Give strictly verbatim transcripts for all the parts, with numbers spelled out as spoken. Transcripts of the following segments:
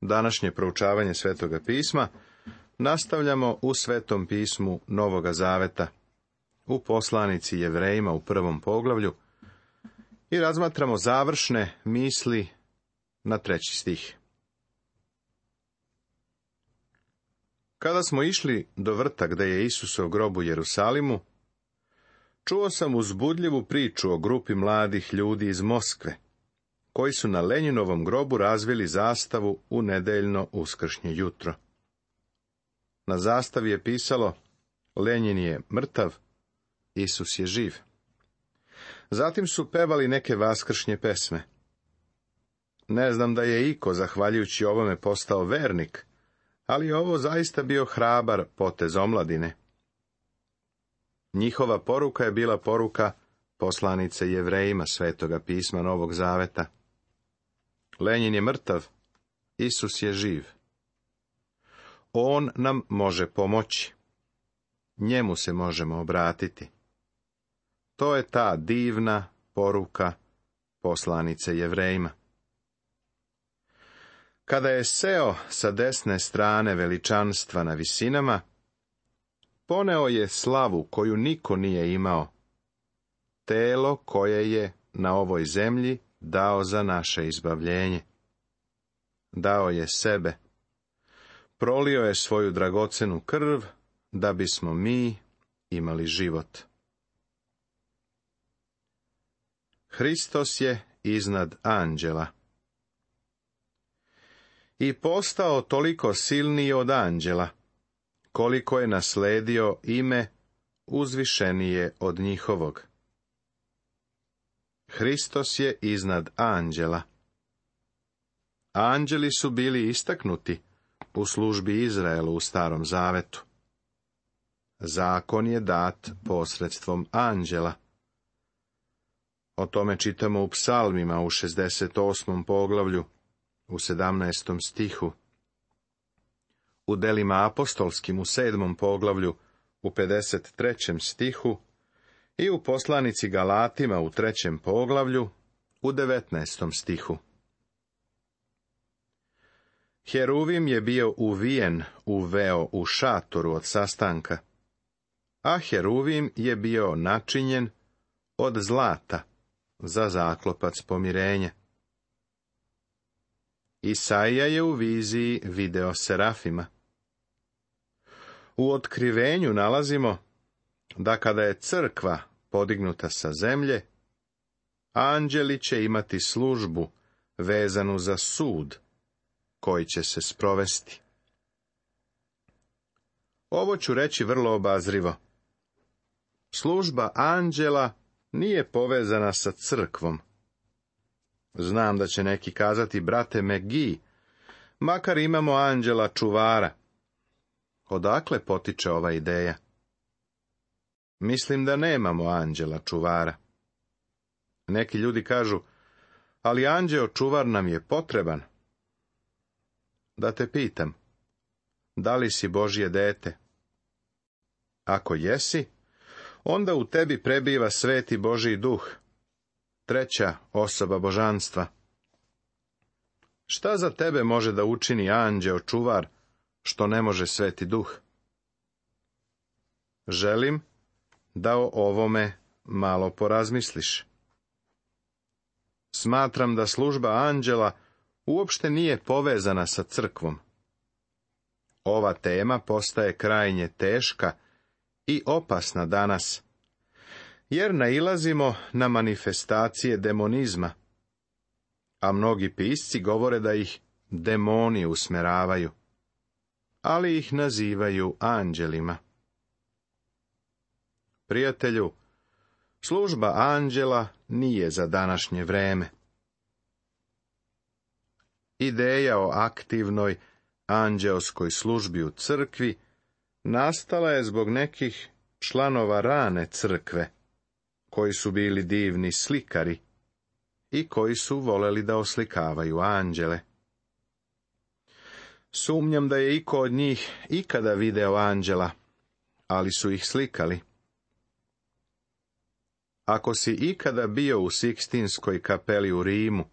Današnje proučavanje Svetoga pisma nastavljamo u Svetom pismu Novoga Zaveta, u poslanici Jevrejima u prvom poglavlju i razmatramo završne misli na treći stih. Kada smo išli do vrta gde je Isusov grob u Jerusalimu, čuo sam uzbudljivu priču o grupi mladih ljudi iz Moskve, koji su na Lenjinovom grobu razvili zastavu u nedeljno uskršnje jutro. Na zastavi je pisalo: Lenjin je mrtav, Isus je živ. Zatim su pevali neke vaskršnje pesme. Ne znam da je iko, zahvaljujući ovome, postao vernik, ali je ovo zaista bio hrabar potez omladine. Njihova poruka je bila poruka poslanice Jevrejima Svetoga pisma Novog Zaveta. Lenjin je mrtav, Isus je živ. On nam može pomoći. Njemu se možemo obratiti. To je ta divna poruka poslanice Jevrejima. Kada je seo sa desne strane veličanstva na visinama, poneo je slavu koju niko nije imao, telo koje je na ovoj zemlji dao za naše izbavljenje. Dao je sebe, prolio je svoju dragocenu krv, da bismo mi imali život. Hristos je iznad anđela i postao toliko silniji od anđela, koliko je nasledio ime uzvišenije od njihovog. Hristos je iznad anđela. Anđeli su bili istaknuti u službi Izraelu u Starom Zavetu. Zakon je dat posredstvom anđela. O tome čitamo u Psalmima u šezdeset osmom poglavlju, u sedamnaestom stihu. U delima apostolskim u sedmom poglavlju, u pedeset trećem stihu i u poslanici Galatima u trećem poglavlju, u devetnaestom stihu. Heruvim je bio uvijen u veo u šatoru od sastanka, a Heruvim je bio načinjen od zlata za zaklopac pomirenja. Isaija je u viziji video serafima. U otkrivenju nalazimo da kada je crkva podignuta sa zemlje, anđeli će imati službu vezanu za sud koji će se sprovesti. Ovo ću reći vrlo obazrivo. Služba anđela nije povezana sa crkvom. Znam da će neki kazati: brate Megi, makar imamo anđela čuvara. Odakle potiče ova ideja? Mislim da nemamo anđela čuvara. Neki ljudi kažu: ali anđeo čuvar nam je potreban. Da te pitam, da li si Božje dete? Ako jesi, onda u tebi prebiva sveti Božji duh, treća osoba božanstva. Šta za tebe može da učini anđeo čuvar, što ne može sveti duh? Želim da o ovome malo porazmisliš. Smatram da služba anđela uopšte nije povezana sa crkvom. Ova tema postaje krajnje teška i opasna danas, jer nailazimo na manifestacije demonizma, a mnogi pisci govore da ih demoni usmeravaju, ali ih nazivaju anđelima. Prijatelju, služba anđela nije za današnje vreme. Ideja o aktivnoj anđeoskoj službi u crkvi nastala je zbog nekih članova rane crkve, koji su bili divni slikari i koji su voleli da oslikavaju anđele. Sumnjam da je iko od njih ikada video anđela, ali su ih slikali. Ako si ikada bio u Sikstinskoj kapeli u Rimu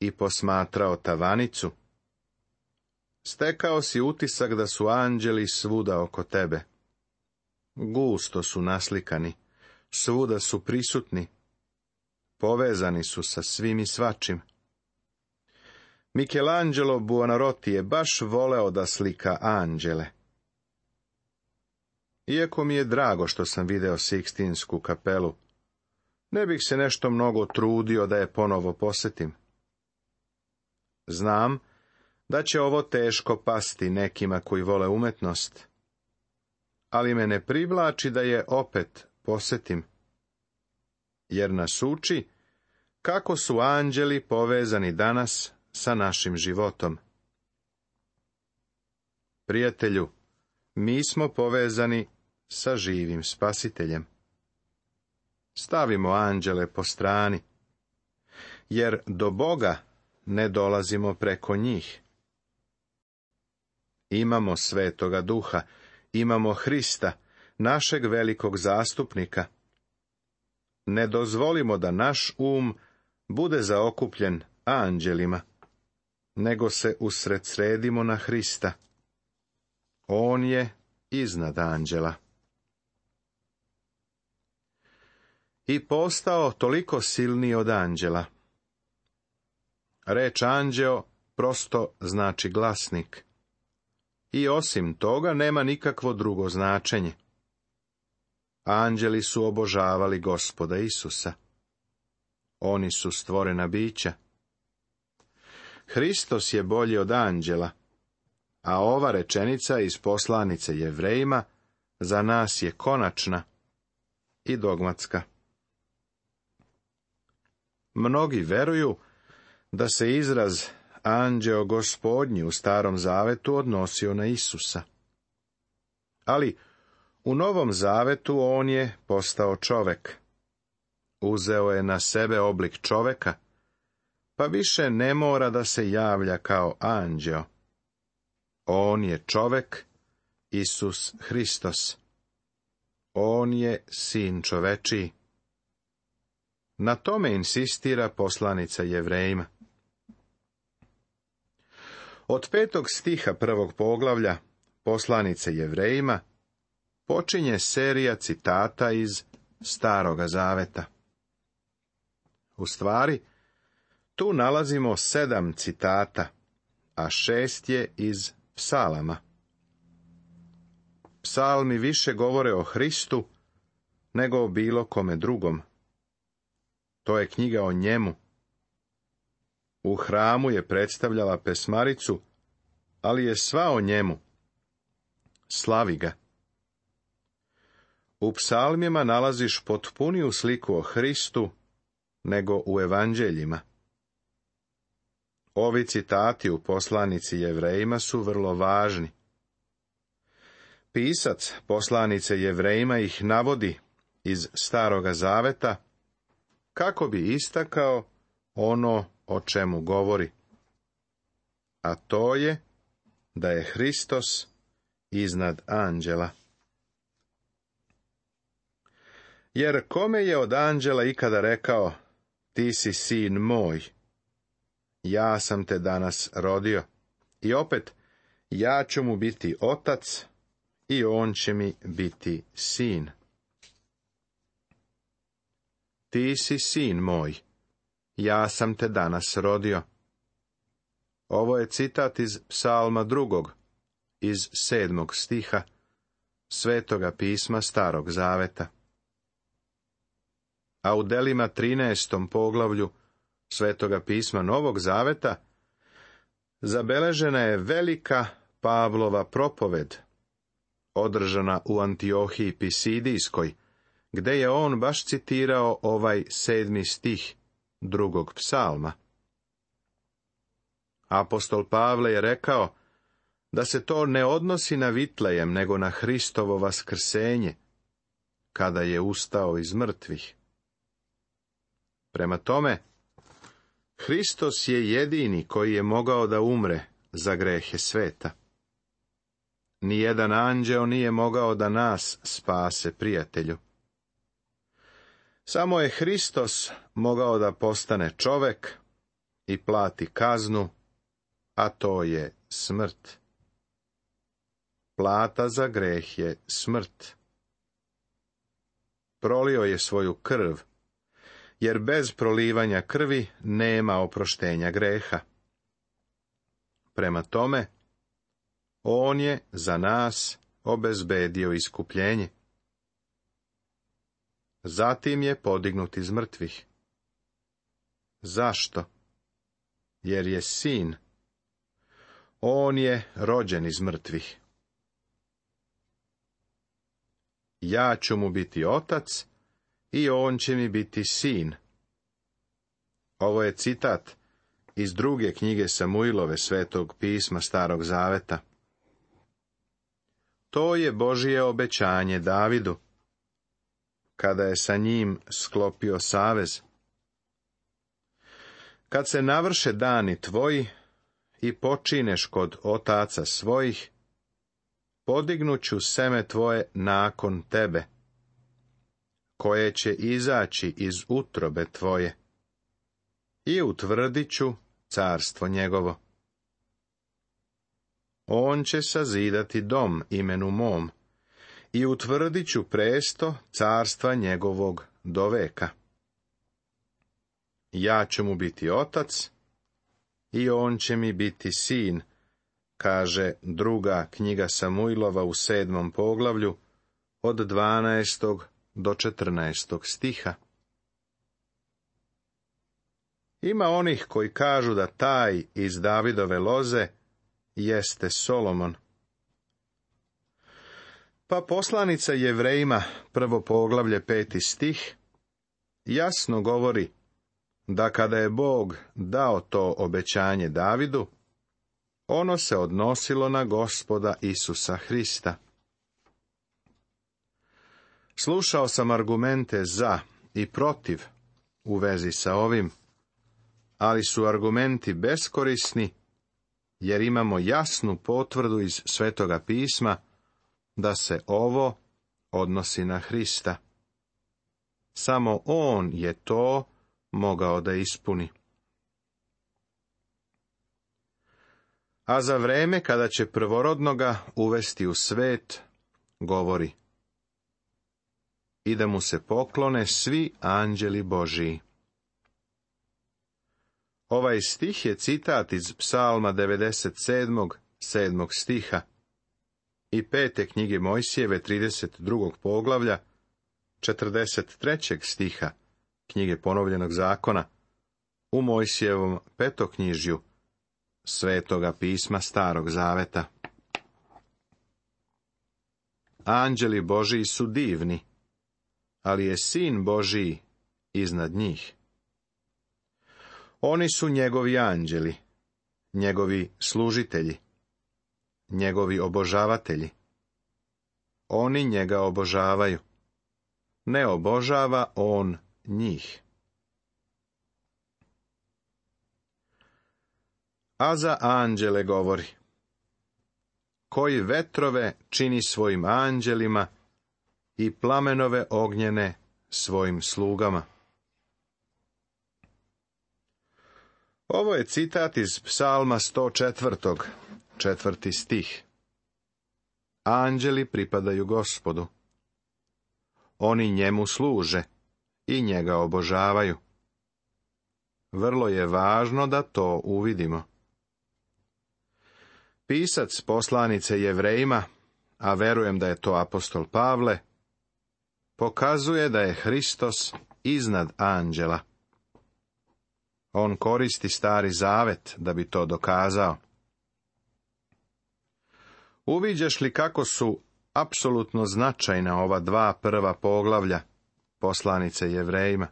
i posmatrao tavanicu, Stekao si utisak da su anđeli svuda oko tebe. Gusto su naslikani, svuda su prisutni, povezani su sa svim i svačim. Michelangelo Buonarroti je baš voleo da slika anđele. Iako mi je drago što sam video Sikstinsku kapelu, ne bih se nešto mnogo trudio da je ponovo posjetim. Znam da će ovo teško pasti nekima koji vole umetnost, ali me ne privlači da je opet posjetim, jer nas uči kako su anđeli povezani danas sa našim životom. Prijatelju, mi smo povezani sa živim Spasiteljem. Stavimo anđele po strani, jer do Boga ne dolazimo preko njih. Imamo Svetoga Duha, imamo Hrista, našeg velikog zastupnika. Ne dozvolimo da naš um bude zaokupljen anđelima, nego se usredsredimo na Hrista. On je iznad anđela. I postao toliko silniji od anđela. Reč anđeo prosto znači glasnik. I osim toga nema nikakvo drugo značenje. Anđeli su obožavali Gospoda Isusa. Oni su stvorena bića. Hristos je bolji od anđela, a ova rečenica iz poslanice Jevrejima za nas je konačna i dogmatska. Mnogi veruju da se izraz anđeo Gospodnji u Starom Zavetu odnosio na Isusa. Ali u Novom Zavetu on je postao čovek. Uzeo je na sebe oblik čoveka, pa više ne mora da se javlja kao anđeo. On je čovek, Isus Hristos. On je sin čovečiji. Na tome insistira poslanica Jevrejima. Od petog stiha prvog poglavlja poslanice Jevrejima počinje serija citata iz Staroga Zaveta. U stvari, tu nalazimo sedam citata, a šest je iz psalama. Psalmi više govore o Hristu nego o bilo kome drugom. To je knjiga o njemu. U hramu je predstavljala pesmaricu, ali je sva o njemu. Slavi ga. U psalmima nalaziš potpuniju sliku o Hristu nego u evanđeljima. Ovi citati u poslanici Jevrejima su vrlo važni. Pisac poslanice Jevrejima ih navodi iz Staroga Zaveta kako bi istakao ono o čemu govori. A to je da je Hristos iznad anđela. Jer kome je od anđela ikada rekao, ti si sin moj, ja sam te danas rodio, i opet, ja ću mu biti otac i on će mi biti sin. Ti si sin moj, ja sam te danas rodio. Ovo je citat iz psalma drugog, iz sedmog stiha, Svetoga pisma Starog Zaveta. A u delima trinaestom poglavlju Svetoga pisma Novog Zaveta zabeležena je velika Pavlova propoved, održana u Antiohiji Pisidijskoj, gde je on baš citirao ovaj sedmi stih drugog psalma. Apostol Pavle je rekao da se to ne odnosi na Vitlejem, nego na Hristovo vaskrsenje, kada je ustao iz mrtvih. Prema tome, Hristos je jedini koji je mogao da umre za grehe sveta. Nijedan anđeo nije mogao da nas spase, prijatelju. Samo je Hristos mogao da postane čovek i plati kaznu a to je smrt. Plata za greh je smrt. Prolio je svoju krv, jer bez prolivanja krvi nema oproštenja greha. Prema tome, on je za nas obezbedio iskupljenje. Zatim je podignut iz mrtvih. Zašto? Jer je sin. On je rođen iz mrtvih. Ja ću mu biti otac i on će mi biti sin. Ovo je citat iz druge knjige Samuilove, Svetog pisma Starog zaveta. To je Božje obećanje Davidu, kada je sa njim sklopio savez. Kad se navrše dani tvoji i počineš kod otaca svojih, podignuću seme tvoje nakon tebe, koje će izaći iz utrobe tvoje, i utvrdit ću carstvo njegovo. On će sazidati dom imenu mom, i utvrdit ću presto carstva njegovog do veka. Ja ću mu biti otac, i on će mi biti sin, kaže druga knjiga Samuilova u sedmom poglavlju, od dvanaestog do četrnaestog stiha. Ima onih koji kažu da taj iz Davidove loze jeste Solomon. Pa poslanica Jevrejima, prvo poglavlje, peti stih, jasno govori da kada je Bog dao to obećanje Davidu, ono se odnosilo na Gospoda Isusa Hrista. Slušao sam argumente za i protiv u vezi sa ovim, ali su argumenti beskorisni, jer imamo jasnu potvrdu iz Svetoga pisma da se ovo odnosi na Hrista. Samo on je to mogao da ispuni. A za vreme kada će prvorodnoga uvesti u svet, govori: i da mu se poklone svi anđeli Božiji. Ovaj stih je citat iz Psalma devedeset sedmog, sedmog stiha i pete knjige Mojsijeve, trideset drugog poglavlja, četrdeset trećeg stiha knjige Ponovljenog zakona, u Mojsijevom petoknjižju Svetoga pisma Starog zaveta. Anđeli Božiji su divni, ali je Sin Božiji iznad njih. Oni su njegovi anđeli, njegovi služitelji, njegovi obožavatelji. Oni njega obožavaju. Ne obožava on njih. A za anđele govori: koji vetrove čini svojim anđelima i plamenove ognjene svojim slugama. Ovo je citat iz Psalma sto četvrtog, četvrti stih. Anđeli pripadaju Gospodu. Oni njemu služe i njega obožavaju. Vrlo je važno da to uvidimo. Pisac poslanice Jevrejima, a verujem da je to apostol Pavle, pokazuje da je Hristos iznad anđela. On koristi Stari zavet da bi to dokazao. Uviđaš li kako su apsolutno značajna ova dva prva poglavlja poslanice Jevrejima?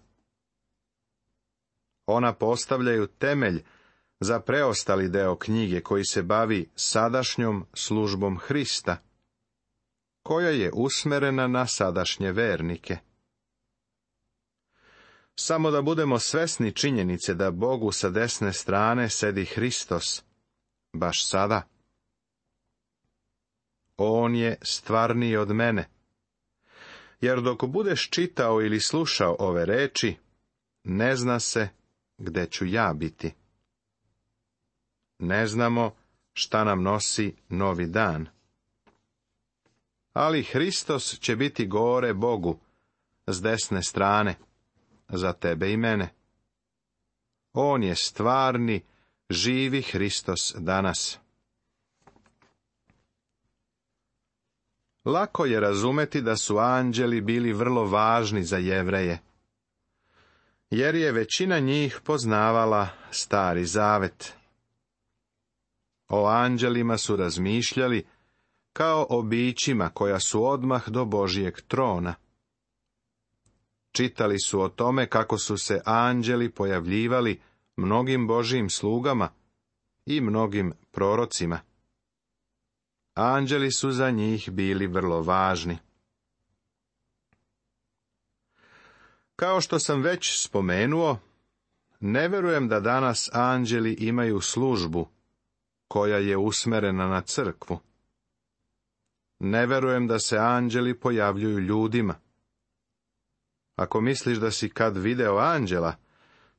Ona postavljaju temelj za preostali deo knjige koji se bavi sadašnjom službom Hrista, koja je usmerena na sadašnje vernike. Samo da budemo svesni činjenice da Bogu sa desne strane sedi Hristos, baš sada. On je stvarniji od mene, jer dok budeš čitao ili slušao ove reči, ne zna se gde ću ja biti. ne znamo šta nam nosi novi dan. Ali Hristos će biti gore Bogu, s desne strane, za tebe i mene. On je stvarni, živi Hristos danas. Lako je razumeti da su anđeli bili vrlo važni za Jevreje, jer je većina njih poznavala Stari Zavet. O anđelima su razmišljali kao o bićima koja su odmah do Božijeg trona. Čitali su o tome kako su se anđeli pojavljivali mnogim Božijim slugama i mnogim prorocima. Anđeli su za njih bili vrlo važni. Kao što sam već spomenuo, ne verujem da danas anđeli imaju službu koja je usmerena na crkvu. Ne verujem da se anđeli pojavljuju ljudima. Ako misliš da si kad video anđela,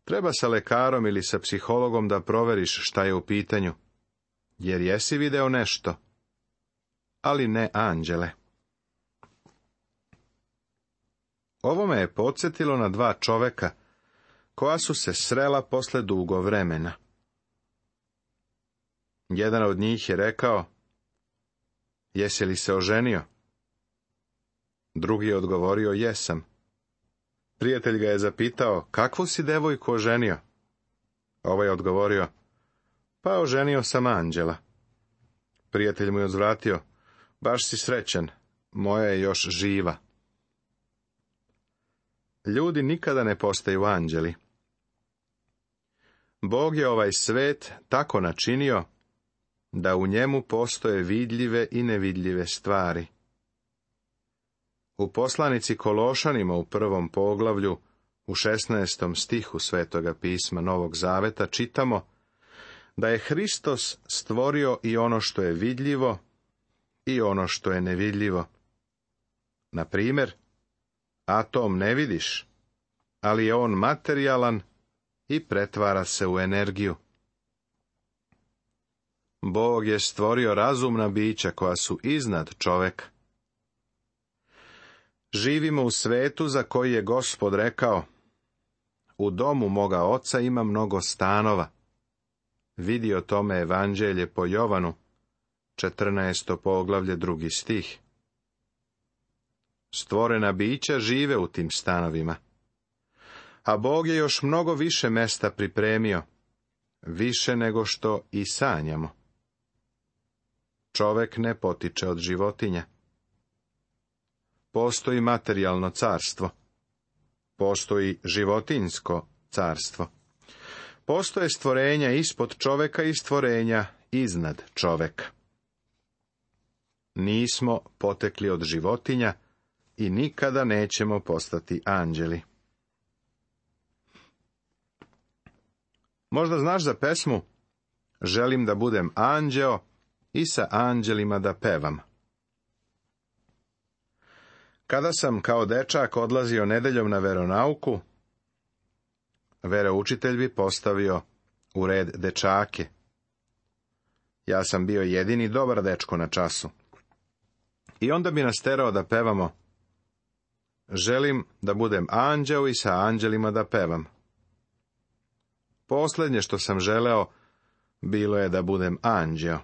treba sa lekarom ili sa psihologom da proveriš šta je u pitanju, jer jesi video nešto, ali ne anđele. Ovo me je podsjetilo na dva čoveka koja su se srela posle dugo vremena. Jedan od njih je rekao: "Jesi li se oženio?" Drugi je odgovorio: "Jesam." Prijatelj ga je zapitao: "Kakvu si devojku oženio?" Ovaj je odgovorio: "Pa oženio sam anđela." Prijatelj mu je odvratio: "Baš si srećan, moja je još živa." Ljudi nikada ne postaju anđeli. Bog je ovaj svet tako načinio da u njemu postoje vidljive i nevidljive stvari. U poslanici Kološanima u prvom poglavlju, u šesnaestom stihu Svetoga pisma Novog Zaveta čitamo da je Hristos stvorio i ono što je vidljivo i ono što je nevidljivo. Na primjer, atom ne vidiš, ali je on materijalan i pretvara se u energiju. Bog je stvorio razumna bića koja su iznad čoveka. Živimo u svetu za koji je Gospod rekao: "U domu moga oca ima mnogo stanova." Vidi o tome Evanđelje po Jovanu, četrnaesto poglavlje, drugi stih. Stvorena bića žive u tim stanovima. A Bog je još mnogo više mesta pripremio, više nego što i sanjamo. Čovek ne potiče od životinja. Postoji materijalno carstvo. Postoji životinjsko carstvo. Postoje stvorenja ispod čoveka i stvorenja iznad čoveka. Nismo potekli od životinja i nikada nećemo postati anđeli. Možda znaš za pesmu "Želim da budem anđeo i sa anđelima da pevam." Kada sam kao dečak odlazio nedeljom na veronauku, veroučitelj bi postavio u red dečake. Ja sam bio jedini dobar dečko na času. I onda bi nas terao da pevamo: "Želim da budem anđeo i sa anđelima da pevam." Posljednje što sam želeo bilo je da budem anđeo.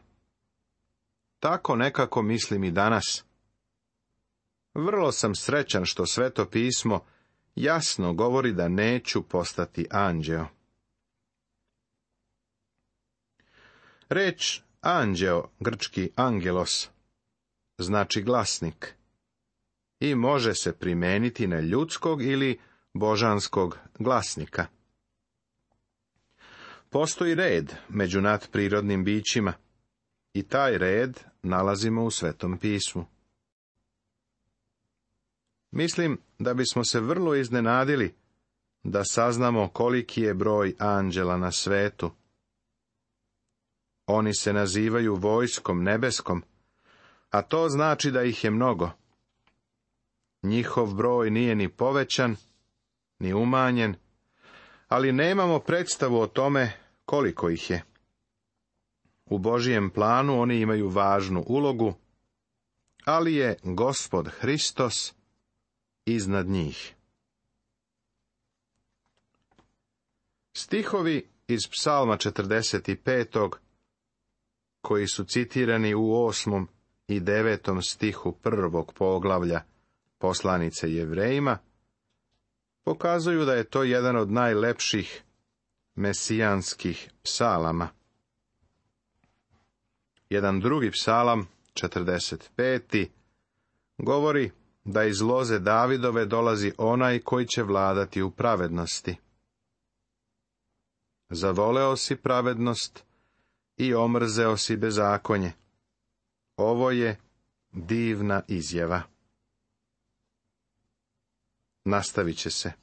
Tako nekako mislim i danas. Vrlo sam srećan što Sveto pismo jasno govori da neću postati anđeo. Reč anđeo, grčki angelos, znači glasnik i može se primijeniti na ljudskog ili božanskog glasnika. Postoji red među nadprirodnim bićima i taj red nalazimo u Svetom pismu. Mislim da bismo se vrlo iznenadili da saznamo koliki je broj anđela na svetu. Oni se nazivaju vojskom nebeskom, a to znači da ih je mnogo. Njihov broj nije ni povećan, ni umanjen, ali nemamo predstavu o tome koliko ih je. U Božijem planu oni imaju važnu ulogu, ali je Gospod Hristos iznad njih. Stihovi iz Psalma četrdeset pet. koji su citirani u osmom i devetom stihu prvog poglavlja poslanice Jevrejima, pokazuju da je to jedan od najlepših mesijanskih psalama. Jedan drugi psalam, četrdeset peti. govori da iz loze Davidove dolazi onaj koji će vladati u pravednosti. Zavoleo si pravednost i omrzeo si bezakonje. Ovo je divna izjava. Nastavit će se.